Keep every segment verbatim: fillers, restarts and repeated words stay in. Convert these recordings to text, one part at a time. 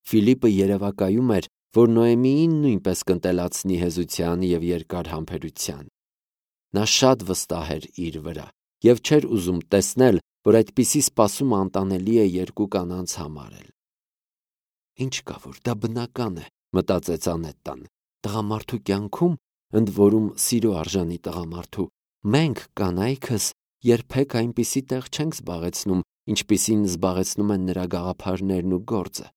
Ֆիլիպը երևակայում էր, որ Նոեմիին նույնպես կընտելացնի հեզության և երկար համբերության։ Նա շատ վստահ էր իր վրա և չէր ուզում տեսնել, որ այդպիսի սպասումը անտանելի է երկու կանանց համար էլ։ «Ինչ կա, որ դա բնական է», մտածեց Անետան։ «Տղամարդու կյանքում, ընդ որում սիրո արժանի տղամարդու, մենք կանայքս երբեք այնպիսի տեղ չենք զբաղեցնում, ինչպիսին զբաղեցնում են նրա գաղափարներն ու գործը,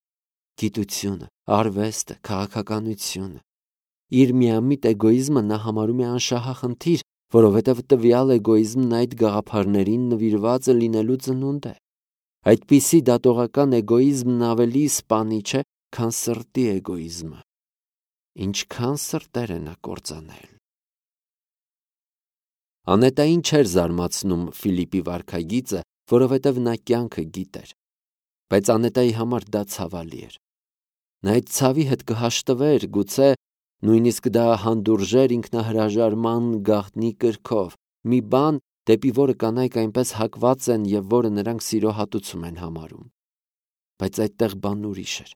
գիտությունը, արվեստը, քաղաքականությունը։ Իր միամիտ էգոիզմը նա համարում է անշահախնդիր, որովհետև տվյալ էգոիզմն այդ գաղափարներին նվիրվածը լինելու ծնունդ է։ Այդպիսի դատողական էգոիզմն ավելի սպանիչ է, քան սրտի էգոիզմը։ Ինչքան սրտեր է նա կործանել»։ Անետային չէր զարմացնում Ֆիլիպի վարքագիծը, որովհետև նա կյանքը գիտեր։ Բայց Անետայի համար դա ցավալի էր։ Նա այդ ցավի հետ կհաշտվեր, գուցե նույնիսկ դա հանդուրժեր ինքնահրաժարման գաղտնի կրքով, մի բան, դեպի որը կանայք այնպես հակված են և որը նրանք սիրո հատուցում են համարում։ Բայց այդտեղ բանն ուրիշ էր։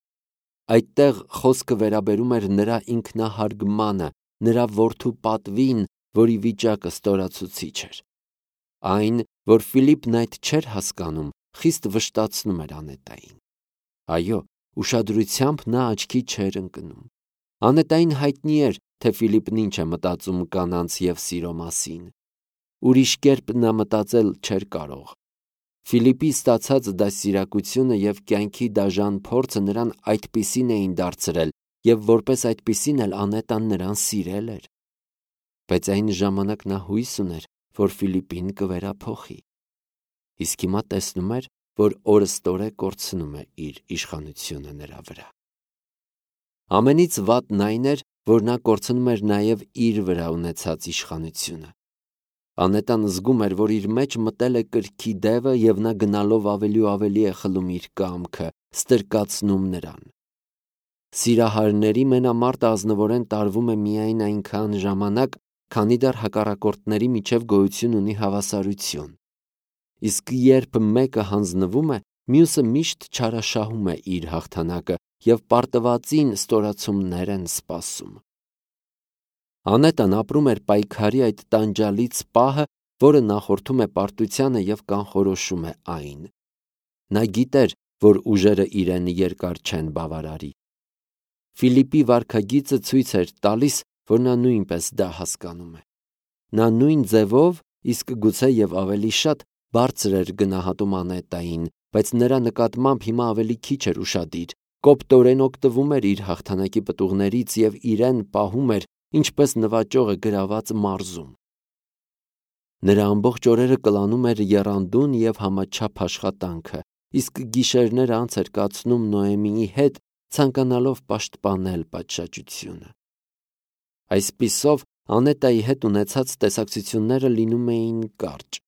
Այդտեղ խոսքը վերաբերում էր նրա ինքնահարգմանը, նրա որդու պատվին, որի վիճակը ստորացուցիչ էր։ Այն, որ Ֆիլիպն այդ չէր հասկանում, խիստ վշտացնում էր Անետային։ Այո, ուշադրությամբ նա աչքի չէր ընկնում։ Անետային հայտնի էր, թե Ֆիլիպն ինչ է մտածում կանանց և սիրո մասին։ Ուրիշ կերպ նա մտածել չէր կարող։ Ֆիլիպի ստացած դաստիարակությունը և կյանքի դաժան փորձը նրան այդպիսին էին դարձրել, և որպես այդպիսին էլ Անետան նրան սիրել էր։ Բայց այն ժամանակ նա հույս ուներ, որ Ֆիլիպին կվերափոխի։ Իսկ հիմա տեսնում էր, որ օրըստօրե կորցնում է իր իշխանությունը նրա վրա։ Ամենից վատն այն էր, որ նա կորցնում էր նաև իր վրա ունեցած իշխանությունը։ Անետան զգում էր, որ իր մեջ մտել է կրքի դևը և նա գնալով ավելի ու ավելի է խլում իր կամքը, ստրկացնում նրան։ Սիրահարների մենամարտը ազնվորեն տարվում է միայն այնքան ժամանակ, քանի դեռ հակառակորդների միջև գոյություն ունի հավասարություն։ Իսկ երբ մեկը հանձնվում է, մյուսը միշտ չարաշահում է իր հաղթանակը և պարտվածին ստորացումներ են սպասում։ Անետան ապրում էր պայքարի այդ տանջալից պահը, որը նախորդում է պարտությանը և կանխորոշում է այն։ Նա գիտեր, որ ուժերը իրեն երկար չեն բավարարի։ Ֆիլիպի վարքագիծը ցույց էր տալիս, որ նա նույնպես դա հասկանում է։ Նա նույն ձևով, իսկ գուցե և ավելի շատ, բարձր էր գնահատում Անետային, բայց նրա նկատմամբ հիմա ավելի քիչ էր ուշադիր, կոպտորեն օգտվում էր իր հաղթանակի պտուղներից և իրեն պահում էր, ինչպես նվաճողը գրաված մարզում։ Նրա ամբողջ օրերը կլանում էր եռանդուն և համաչափ աշխատանքը, իսկ գիշերները անց էր կացնում Նոեմիի հետ, ցանկանալով պաշտպանել պատշաճությունը։ Այսպիսով, Անետայի հետ ունեցած տեսակցությունները լինում էին կարճ։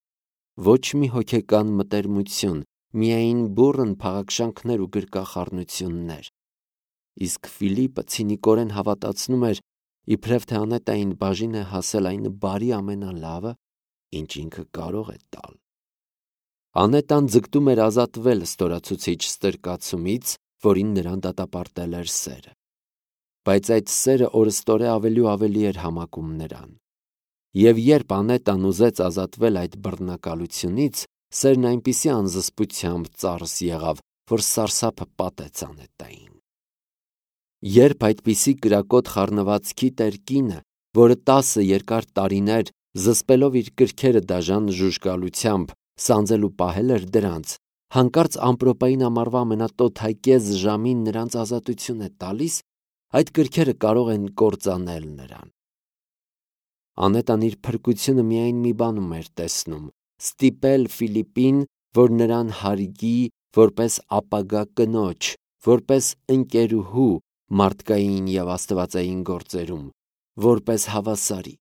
Ոչ մի հոգեկան մտերմություն, միայն բուռն փաղաքշանքներ ու գրկախառնություններ։ Իսկ Ֆիլիպը ցինիկորեն հավատացնում էր, իբրև թե Անետային բաժին է հասել այն բարի ամենալավը, ինչ ինքը կարող է տալ։ Անետան ձգտում էր ազատվել ստորացուցիչ ստրկացումից, որին նրան դատապարտել էր սերը։ Բայց այդ սերը օրըստօրե ավելի ու ավելի էր համակում նրան։ Եվ երբ Անետան ուզեց ազատվել այդ բռնակալությունից, սերն այնպիսի անզսպությամբ ծարս եղավ, որ սարսափը պատեց Անետային։ Երբ այդպիսի կրակոտ խառնվածքի տեր կինը, որը տասը երկար տարիներ, զսպելով իր կրքերը դաժան ժուժկալությամբ, սանձել ու պահել էր դրանց, հանկարծ ամպրոպային ամառվա ամենատոթակեզ ժամին նրանց ազատություն է տալիս, այդ կրքերը կարող են կործանել նրան։ Անետան իր փրկությունը միայն մի բանում էր տեսնում՝ ստիպել Ֆիլիպին, որ նրան հարգի որպես ապագա կնոջ, որպես ընկերուհու մարդկային և աստվածային գործերում, որպես հավասարի։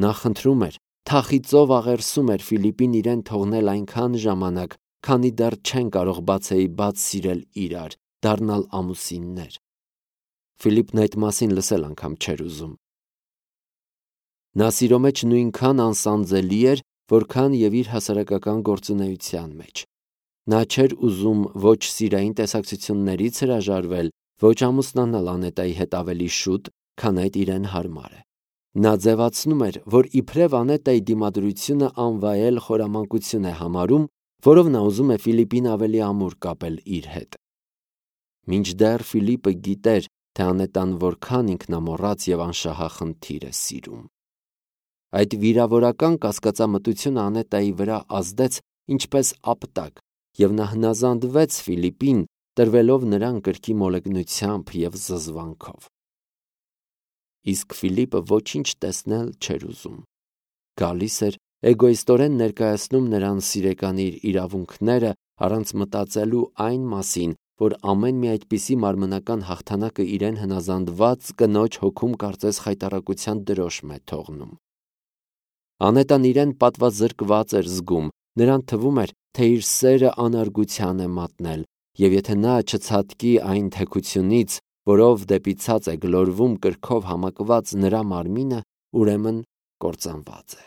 Նա խնդրում էր, թախիծով աղերսում էր Ֆիլիպին իրեն թողնել այնքան ժամանակ, քանի դեռ չեն կարող բացեիբաց սիրել իրար, դառնալ ամուսիններ։ Ֆիլիպն այդ մասին լսել անգամ չէր ուզում։ Նա սիրո մեջ նույնքան անսանձելի էր, որքան և իր հասարակական գործունեության մեջ։ Նա չէր ուզում ոչ սիրային տեսակցություններից հրաժարվել, ոչ ամուսնանալ Անետայի հետ ավելի շուտ, քան այդ իրեն հարմար է։ Նա ձևացնում էր, որ իբրև Անետայի դիմադրությունը անվայել խորամանկություն է համարում, որով նա ուզում է Ֆիլիպին ավելի ամուր կապել իր հետ։ Մինչդեռ Ֆիլիպը գիտեր, թե Անետան որքան ինքնամոռաց և անշահախնդիր է սիրում։ Այդ վիրավորական կասկածամտությունը Անետայի վրա ազդեց ինչպես ապտակ, և նա հնազանդվեց Ֆիլիպին, տրվելով նրան կրքի մոլեգնությամբ և զզվանքով։ Իսկ Ֆիլիպը ոչինչ տեսնել չէր ուզում։ Գալիս էր, էգոիստորեն ներկայացնում նրան սիրեկանի իր իրավունքները, առանց մտածելու այն մասին, որ ամեն մի այդպիսի մարմնական հաղթանակը իրեն հնազանդված կնոջ հոգում կարծես խայտառակության դրոշմ է թողնում։ Անետան իրեն պատվազրկված էր զգում, նրան թվում էր, թե իր սերը անարգության է մատնել, և եթե նա չցատկի այն թեքությունից, որով դեպի ցած է գլորվում կրքով համակված նրա մարմինը, ուրեմն կործանված է։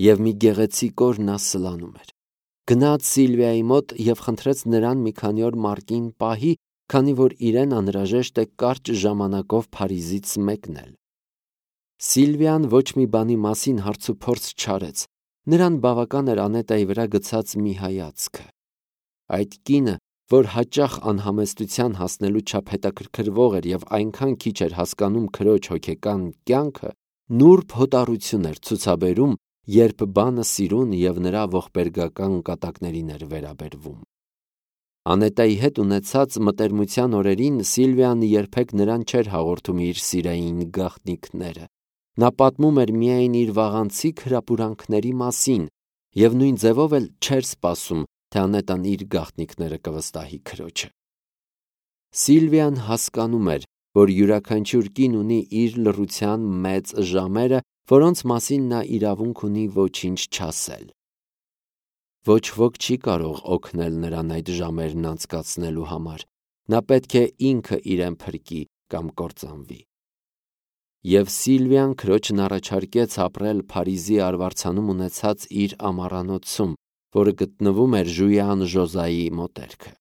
Եվ մի գեղեցիկ օր նա սլանում էր։ Գնաց Սիլվիայի մոտ և խնդրեց նրան մի քանի օր մարկին պահի, քանի որ իրեն անհրաժեշտ է կարճ ժամանակով Փարիզից մեկնել։ Սիլվիան ոչ մի բանի մասին հարցուփորձ չարեց։ Նրան բավական էր Անետայի վրա գցած մի հայացքը։ Այդ կինը, որ հաճախ անհամեստության հասնելու չափ հետաքրքրվող էր և այնքան քիչ էր հասկանում քրոջ հոգեկան կյանքը, նուրբ հոտառություն էր ցուցաբերում, երբ բանը սիրուն և նրա ողբերգական կատակներին էր վերաբերվում։ Անետայի հետ ունեցած մտերմության օրերին Սիլվիան երբեք նրան չէր հաղորդում իր սիրային գաղտնիքները։ Նա պատմում էր միայն իր վաղանցիկ հրապուրանքների մասին և նույն ձևով էլ չէր սպասում, թե Անետան իր գաղտնիքները կվստահի քրոջը։ Սիլվիան հասկանում էր, որ յուրաքանչյուր կին ունի իր լռության մեծ ժամերը, որոնց մասին նա իրավունք ունի ոչինչ չասել։ Ոչ ոք չի կարող օգնել նրան այդ ժամերն անցկացնելու համար։ Նա պետք է ինքը իրեն փրկի կամ կործանվի։ Եվ Սիլվիան քրոջն առաջարկեց ապրել Փարիզի արվարձանում ունեցած իր ամառանոցում, որը գտնվում էր Ժույան Ժոզայի մոտերքը։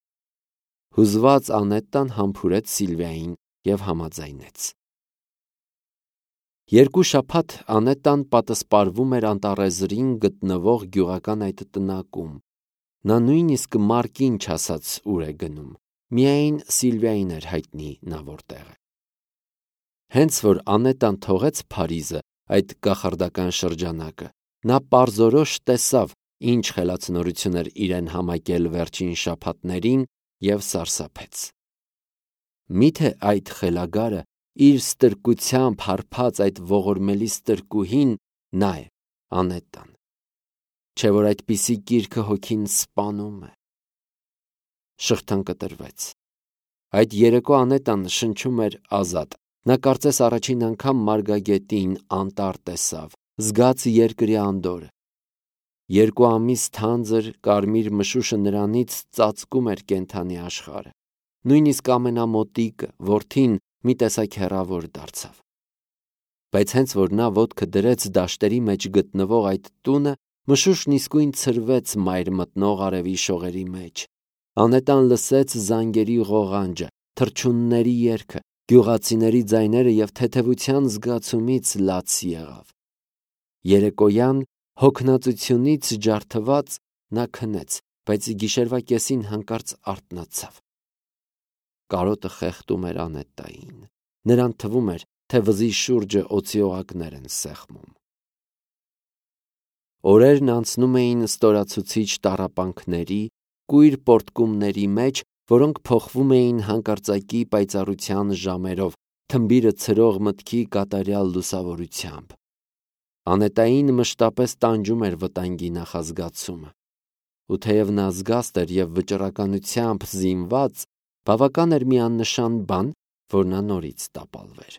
Հուզված Անետան համբուրեց Սիլվիային և համաձայնեց։ Երկու շաբաթ Անետան պատսպարվում էր Անտառեզրին գտնվող գյուղական այդ տնակում։ Նա նույնիսկ մարկին չասաց ուր է գնում, միայն Սիլվիային էր հայտնի նա որտեղ է։ Հենց որ Անետան թողեց Փարիզը, այդ կախարդական շրջանակը, նա պարզորոշ տեսավ, ինչ խելացնորություն էր իրեն համակել վերջին շաբաթներին և սարսափեց։ Միթե այդ խելագարը, իր ստրկությամբ հարբած այդ ողորմելի ստրկուհին նա է, Անետան, չէ՞ որ այդպիսի կիրքը հոգին սպանում է։ Շղթան կտրվեց։ Այդ երեկո Անետան շնչում էր ազատ։ Նա կարծես առաջին անգամ Մարգագետին, անտառ տեսավ, զգաց երկրի անդորրը։ Երկու ամիս թանձր կարմիր մշուշը նրանից ծածկում էր կենդանի աշխարհը։ Նույնիսկ ամենամոտիկը, որդին, մի տեսակ հեռավոր դարձավ։ Բայց հենց որ նա ոտքը դրեց դաշտերի մեջ գտնվող այդ տունը, մշուշն իսկույն ցրվեց մայր մտնող արևի շողերի մեջ։ Անետան լսեց զանգերի ղողանջը, թռչունների երգը, գյուղացիների ձայները և թեթևության զգացումից լաց եղավ։ Երեկոյան հոգնածությունից ջարդված նա քնեց, բայց գիշերվա կեսին հանկարծ արթնացավ։ Կարոտը խեղդում էր Անետային։ Նրան թվում էր, թե վզի շուրջը օձի օղակներ են սեղմում։ Օրերն անցնում էին ստորացուցիչ տառապանքների, կույր պոռթկումների մեջ, որոնք փոխվում էին հանկարծակի պայծառության ժամերով, թմբիրը ցրող մտքի կատարյալ լուսավորությամբ։ Անետային մշտապես տանջում էր վտանգի նախազգացումը։ Ու թեև նա զգաստ էր և վճռականությամբ զինված, բավական էր մի աննշան բան, որ նա նորից տապալվեր։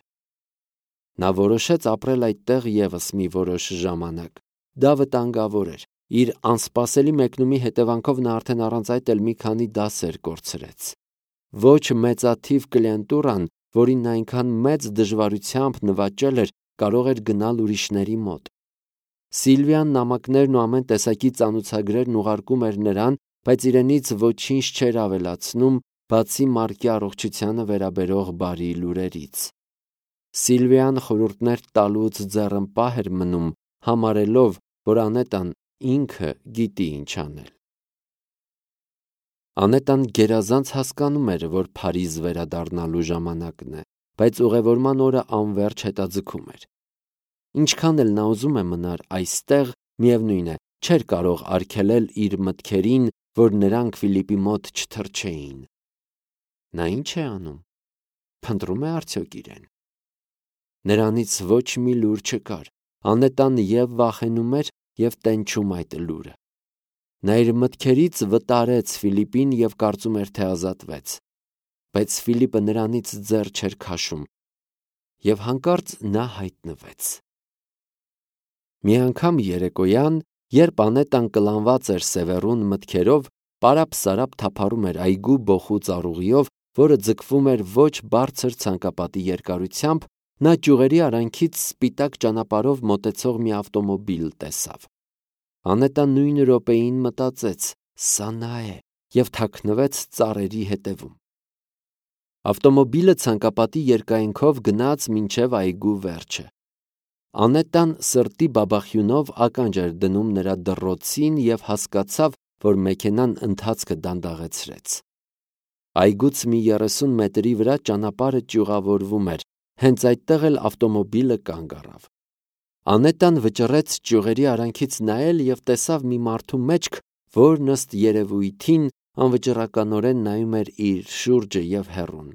Նա որոշեց ապրել այդտեղ ևս մի որոշ ժամանակ։ Դա վտանգավոր էր։ Իր անսպասելի մեկնումի հետևանքով նա արդեն առանց այդ էլ մի քանի դասեր կորցրեց։ Ոչ մեծաթիվ կլիենտուրան, որին նա այնքան մեծ դժվարությամբ նվաճել էր, կարող էր գնալ ուրիշների մոտ։ Սիլվիան նամակներն ու ամեն տեսակի ծանուցագրերն ուղարկում էր նրան, բայց իրենից ոչինչ չէր ավելացնում, բացի Մարկի առողջությանը վերաբերող բարի լուրերից։ Սիլվիան խորհուրդներ տալուց ձեռնպահ էր մնում, համարելով, որ Անետան ինքը գիտի ինչ անել։ Անետան գերազանց հասկանում էր, որ Փարիզ վերադառնալու ժամանակն է, բայց ուղևորման օրը անվերջ հետաձգում էր։ Ինչքան էլ նա ուզում է մնար այստեղ, միևնույն է, չէր կարող արգելել իր մտքերին, որ նրանք Ֆիլիպի մոտ չթռչեին։ Նա ինչ է անում։ Փնտրում է արդյոք իրեն։ Նրանից ոչ մի լուր չկար։ Անետան և վախենում էր, և տենչում այդ լուրը։ Նա իր մտքերից վտարեց Ֆիլիպին և կարծում էր, թե ազատվեց, բայց Ֆիլիպը նրանից ձեռ չէր քաշում, և հանկարծ նա հայտնվեց։ Մի անգամ երեկոյան, երբ Անետան կլանված էր սևեռուն մտքերով, պարապ-սարապ թափառում էր այգու բոխու ծառուղիով, որը ձգվում էր ոչ բարձր ցանկապատի երկարությամբ, նա ճյուղերի արանքից սպիտակ ճանապարհով մոտեցող մի ավտոմոբիլ տեսավ։ Անետան նույն րոպեին մտածեց. «Սա նա է», և թաքնվեց ծառերի հետևում։ Ավտոմոբիլը ցանկապատի երկայնքով գնաց մինչև այգու վերջը։ Անետան սրտի բաբախյունով ականջ էր դնում նրա դռոցին և հասկացավ, որ մեքենան ընթացքը դանդաղեցրեց։ Այգուց մի երեսուն մետրի վրա ճանապարհը ճյուղավորվում էր, հենց այդտեղ էլ ավտոմոբիլը կանգ առավ։ Անետան վճռեց ճյուղերի արանքից նայել և տեսավ մի մարդու մեջք, որն ըստ երևույթին անվճռականորեն նայում էր իր շուրջը և հեռուն։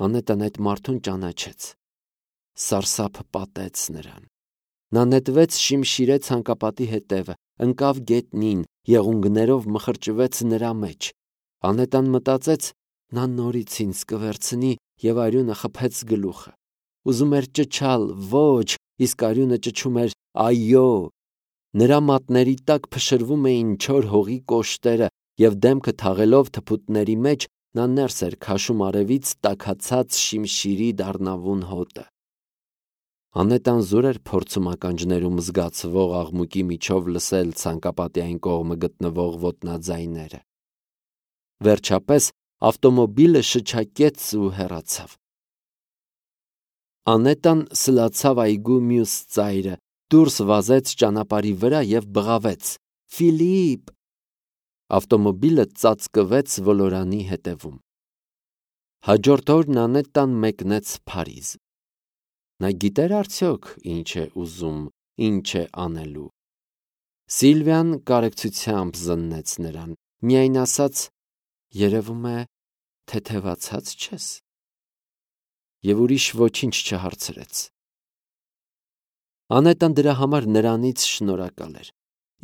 Անետան այդ մարդուն ճանաչեց։ Սարսափը պատեց նրան։ Նա նետվեց շիմշիրե ցանկապատի հետևը, ընկավ գետնին, եղունգներով մխրճվեց նրա մեջ։ Անետան մտածեց. նա նորից ինձ կվերցնի, և արյունը խփեց գլուխը։ Ուզում էր ճչալ ոչ, իսկ արյունը ճչում էր այո։ Նրա մատների տակ փշրվում էին չոր հողի կոշտերը, և դեմքը թաղելով թփուտների մեջ, նա ներս էր քաշում արևից տաքացած շիմշիրի դառնավուն հոտը։ Անետան զուր էր փորձում ականջներում զգացվող աղմուկի միջով լսել ցանկապատի այն կողմը գտնվող ոտնաձայները։ Վերջապես ավտոմոբիլը շչակեց ու հեռացավ։ Անետան սլացավ այգու մյուս ծայրը, դուրս վազեց ճանապարհի վրա և բղավեց. «Ֆիլիպ»։ Ավտոմոբիլը ծածկվեց ոլորանի հետևում։ Հաջորդ օրն Անետան մեկնեց Փարիզ։ Նա գիտե՞ր արդյոք ինչ է ուզում, ինչ է անելու։ Սիլվիան կարեկցությամբ զննեց նրան, միայն ասաց. «Երևում է, թեթևացած չես»։ Եվ ուրիշ ոչինչ չհարցրեց։ Անետան դրա համար նրանից շնորհակալ էր։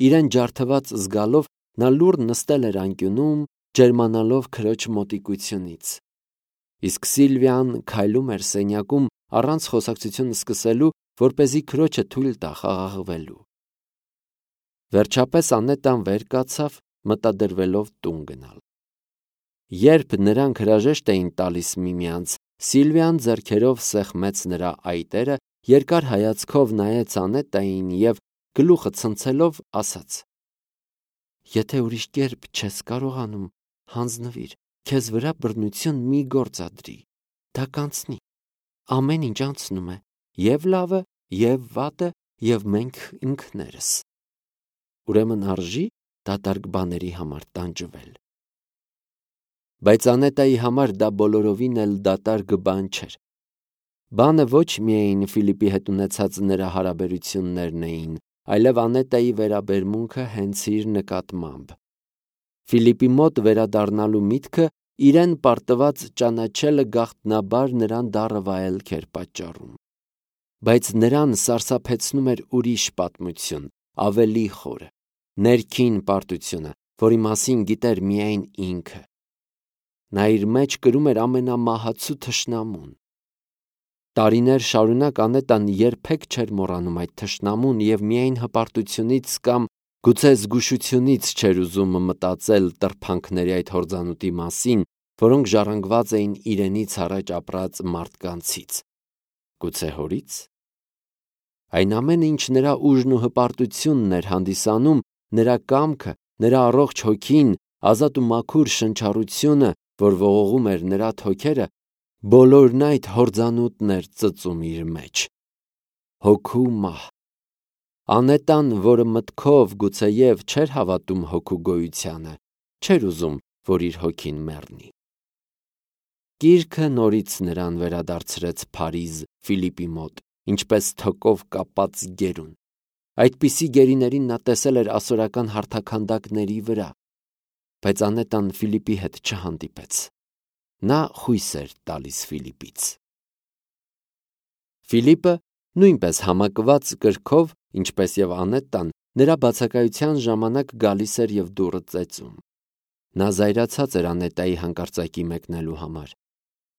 Իրեն ջարդված զգալով, նա լուռ նստել էր անկյունում, ջերմանալով քրոջ մոտիկությունից։ Իսկ Սիլվիան քայլում էր սենյակում առանց խոսակցություն սկսելու, որպեսզի քրոջը թույլ տա խաղաղվելու։ Վերջապես Անետան վեր կացավ, մտադրվելով տուն գնալ։ Երբ նրանք հրաժեշտ էին տալիս միմյանց, Սիլվիան ձեռքերով սեղմեց նրա այտերը, երկար հայացքով նայեց Անետային և, գլուխը ցնցելով, ասաց. «Եթե ուրիշ կերպ չես կարողանում, հանձնվիր, քեզ վրա բռնություն մի գործադրի, դա կանցնի։ Ամեն ինչ անցնում է, և լավը, և վատը, և մենք ինքներս։ Ուրեմն արժի դատարկ բաների համար տանջվել»։ Բայց Անետայի համար դա բոլորովին էլ դատարկ բան չէր։ Բանը ոչ միայն Ֆիլիպի հետ ունեցած նրա հարաբերություններն էին, այլև Անետայի վերաբերմունքը հենց իր նկատմամբ։ Ֆիլիպի մոտ վերադառնալու միտքը իրեն պարտված ճանաչելը գաղտնաբար նրան դառը վայելք էր պատճառում։ Բայց նրան սարսափեցնում էր ուրիշ պատմություն, ավելի խորը, ներքին պարտությունը, որի մասին գիտեր միայն ինքը։ Նա իր մեջ կրում էր ամենամահացու թշնամուն։ Տարիներ շարունակ Անետան երբեք չէր մոռանում այդ թշնամուն և միայն հպարտությունից կամ գուցե զգուշությունից չէր ուզում մտածել տրփանքների այդ հորձանուտի մասին, որոնք ժառանգված էին իրենից առաջ ապրած մարդկանցից։ Գուցե հորի՞ց։ Այն ամենը, ինչ նրա ուժն ու հպարտությունն էր հանդիսանում, նրա կամքը, նրա առողջ հոգին, ազատ ու մաքուր շնչառությունը, որ ողողում էր նրա թոքերը, բոլորն այդ հորձանուտն էր ծծում իր մեջ։ Հոգու մահ։ Անետան, որը մտքով գուցեև չէր հավատում հոգու գոյությանը, չէր ուզում, որ իր հոգին մեռնի։ Գիրքը նորից նրան վերադարձրեց Փարիզ Ֆիլիպի մոտ, ինչպես թոկով կապած գերուն։ Այդպիսի գերիներին նա տեսել էր ասորական հարթաքանդակների վրա, բայց Անետան Ֆիլիպի հետ չհանդիպեց։ Նա խույս էր տալիս Ֆիլիպից։ Ֆիլիպը, նույնպես համակված կրքով, ինչպես և Անետան, նրա բացակայության ժամանակ գալիս էր և դուռը ծեծում։ Նա զայրացած էր Անետայի հանկարծակի մեկնելու համար։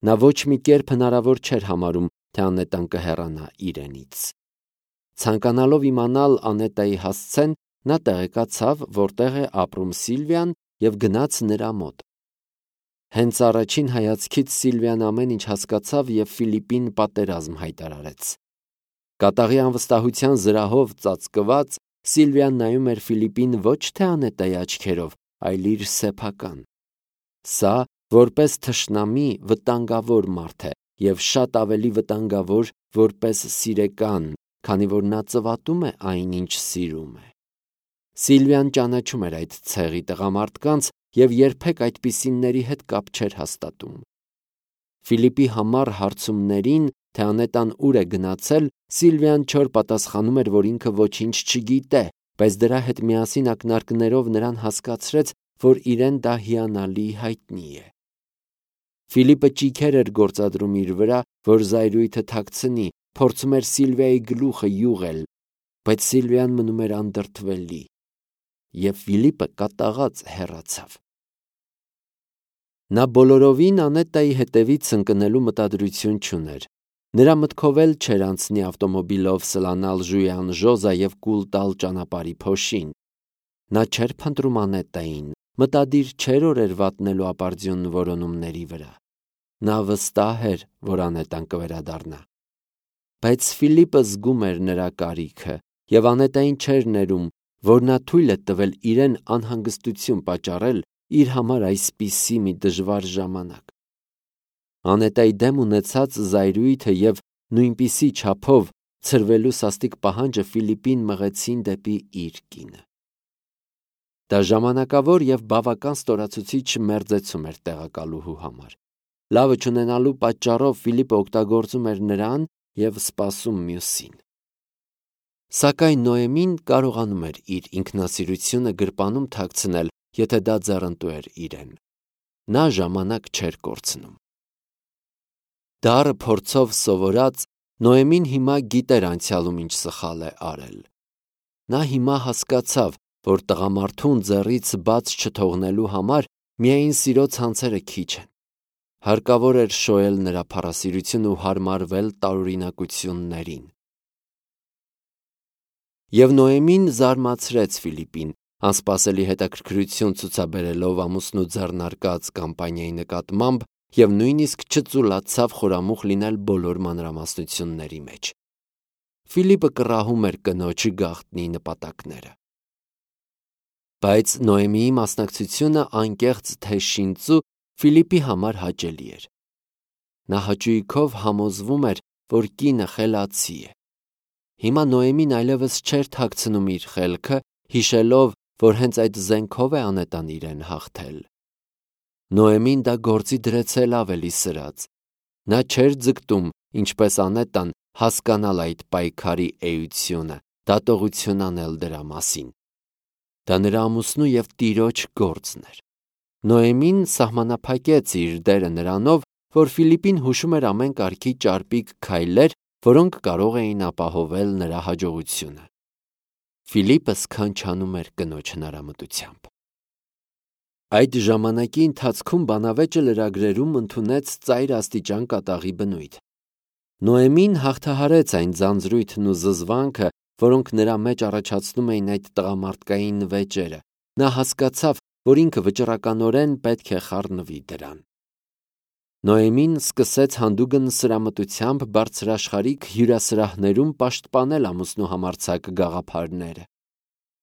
Նա ոչ մի կերպ հնարավոր չէր համարում, թե Անետան կհեռանա իրենից։ Ցանկանալով իմանալ Անետայի հասցեն, նա տեղեկացավ, որտեղ է ապրում Սիլվիան, և գնաց նրա մոտ։ Հենց առաջին հայացքից Սիլվիան ամեն ինչ հասկացավ և Ֆիլիպին պատերազմ հայտարարեց։ Կատաղի անվստահության զրահով ծածկված, Սիլվիան նայում էր Ֆիլիպին ոչ թե Անետայի աչքերով, այլ իր սեփական։ Սա, որպես թշնամի, վտանգավոր մարդ է և շատ ավելի վտանգավոր, որպես սիրեկան, քանի որ նա ծվատում է այն, ինչ սիրում է։ Սիլվիան ճանաչում էր այդ ցեղի տղամարդկանց և երբեք այդպիսիների հետ կապ չէր հաստատում։ Ֆիլիպի համառ հարցումներին, թե Անետան ուր է գնացել, Սիլվիան չոր պատասխանում էր, որ ինքը ոչինչ չգիտե, բայց դրա հետ միասին ակնարկներով նրան հասկացրեց, որ իրեն դա հիանալի հայտնի է։ Ֆիլիպը ճիգեր էր գործադրում իր վրա, որ զայրույթը թաքցնի, փորձում էր Սիլվիայի գլուխը յուղել, բայց Սիլվիան մնում էր անդրդվելի, և Ֆիլիպը կատաղած հեռացավ։ Նա բոլորովին Անետայի հետևից ընկնելու մտադրություն չուներ։ Նրա մտքով էլ չէր անցնի ավտոմոբիլով սլանալ Ժույան Ժոզա և կուլ տալ ճանապարհի փոշին։ Նա չէր փնտրում Անետային, մտադիր չէր օրեր վատնելու ապարդյուն որոնումների վրա։ Նա վստահ էր, որ Անետան կվերադառնա։ Բայց Ֆիլիպը զգում էր նրա կարիքը և Անետային չէր ներում, որ նա թույլ է տվել իրեն անհանգստություն պատճառել իր համար այսպիսի մի դժվար ժամանակ։ Անետայի դեմ ունեցած զայրույթը և նույնպիսի չափով ցրվելու սաստիկ պահանջը Ֆիլիպին մղեցին դեպի իր կինը։ Դա ժամանակավոր և բավական ստորացուցիչ մերձեցում էր տեղակալուհու համար։ Լավը չունենալու պատճառով Ֆիլիպը օգտագործում էր նրան և սպասում մյուսին։ Սակայն Նոեմին կարողանում էր իր ինքնասիրությունը գրպանում թաքցնել, եթե դա ձեռնտու էր իրեն։ Նա ժամանակ չէր կորցնում։ Դառը փորձով սովորած, Նոեմին հիմա գիտեր անցյալում ինչ սխալ է արել։ Նա հիմա հասկացավ, որ տղամարդուն ձեռից բաց չթողնելու համար միայն սիրո ցանցերը քիչ են։ Հարկավոր էր շոյել նրա փառասիրությունը ու հարմարվել տարօրինակություններին։ Եվ Նոեմին զարմացրեց Ֆիլիպին, անսպասելի հետաքրքրություն ցուցաբերելով ամուսնու ձեռնարկած կամպանիայի նկատմամբ և նույնիսկ չծուլացավ խորամուխ լինել բոլոր մանրամասնությունների մեջ։ Ֆիլիպը կռահում էր կնոջ գաղտնի նպատակները։ Բայց Նոեմիի մասնակցությունը անկեղծ թե շինծու Ֆիլիպի համար հաճելի էր։ Նա հաճույքով համոզվում էր, որ կինը խելացի է։ Հիմա Նոեմին այլևս չէր թաքցնում իր խելքը, հիշելով, որ հենց այդ զենքով է Անետան իրեն հաղթել։ Նոեմին դա գործի դրեց էլ ավելի սրած։ Նա չէր ձգտում, ինչպես Անետան, հասկանալ այդ պայքարի էությունը, դատողություն անել դրա մասին։ Դա նրա ամուսնու և տիրոջ գործն էր։ Նոեմին սահմանափակեց իր դերը նրանով, որ Ֆիլիպին հուշում էր ամեն կարգի ճարպիկ քայլեր, որոնք կարող էին ապահովել նրա հաջողությունը։ Ֆիլիպը սքանչանում էր կնոջ հնարամտությամբ։ Այդ ժամանակի ընթացքում բանավեճը լրագրերում ընդունեց ծայր աստիճան կատաղի բնույթ։ Նոեմին հաղթահարեց այն ձանձրույթն ու զզվանքը, որոնք նրա մեջ առաջացնում էին այդ տղամարդկային վեճերը։ Նա հասկացավ, որ ինքը վճռականորեն պետք է խառնվի դրան։ Նոեմին սկսեց հանդուգն սրամտությամբ բարձրաշխարհիկ հյուրասրահներում պաշտպանել ամուսնու համարձակ գաղափարները։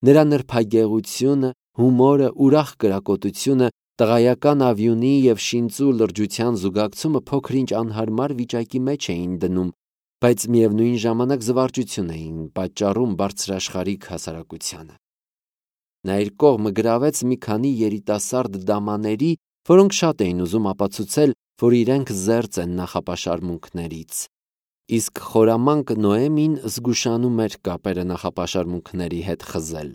Նրա նրբագեղությունը, հումորը, ուրախ կրակոտությունը, տղայական ավյունի և շինծու լրջության զուգակցումը փոքր-ինչ անհարմար վիճակի մեջ էին դնում, բայց միևնույն ժամանակ զվարճություն էին պատճառում բարձրաշխարհիկ հասարակությանը։ Նա իր կողմը գրավեց մի քանի երիտասարդ դամաների, որոնք շատ էին ուզում ապացուցել, որ իրենք զերծ են նախապաշարմունքներից։ Իսկ խորամանկ Նոեմին զգուշանում էր կապերը նախապաշարմունքների հետ խզել։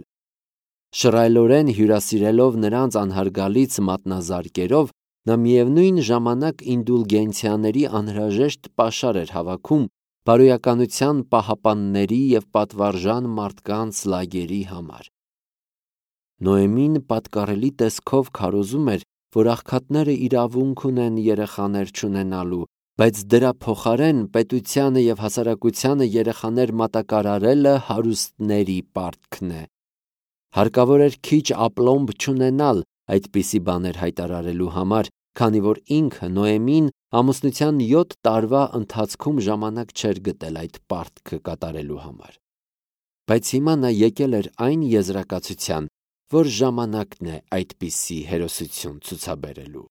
Շռայլորեն հյուրասիրելով նրանց անհարգալից մատնազարկերով, նա միևնույն ժամանակ ինդուլգենցիաների անհրաժեշտ պաշար էր հավաքում բարոյականության պահապանների և պատվարժան մարդկանց լագերի համար։ Նոեմին պատկառելի տեսքով քարոզում էր, որ աղքատները իրավունք ունեն երեխաներ չունենալու, բայց դրա փոխարեն պետությանը և հասարակությանը երեխաներ մատակարարելը հարուստների պարտքն է։ Հարկավոր էր քիչ ապլոմբ չունենալ այդպիսի բաներ հայտարարելու համար, քանի որ ինքը Նոեմին ամուսնության յոթ տարվա ընթացքում ժամանակ չէր գտել այդ պարտքը կատարելու համար։ Բայց հիմա նա եկել էր այն եզրակացության, որ ժամանակն է այդպիսի հերոսություն ցուցաբերելու։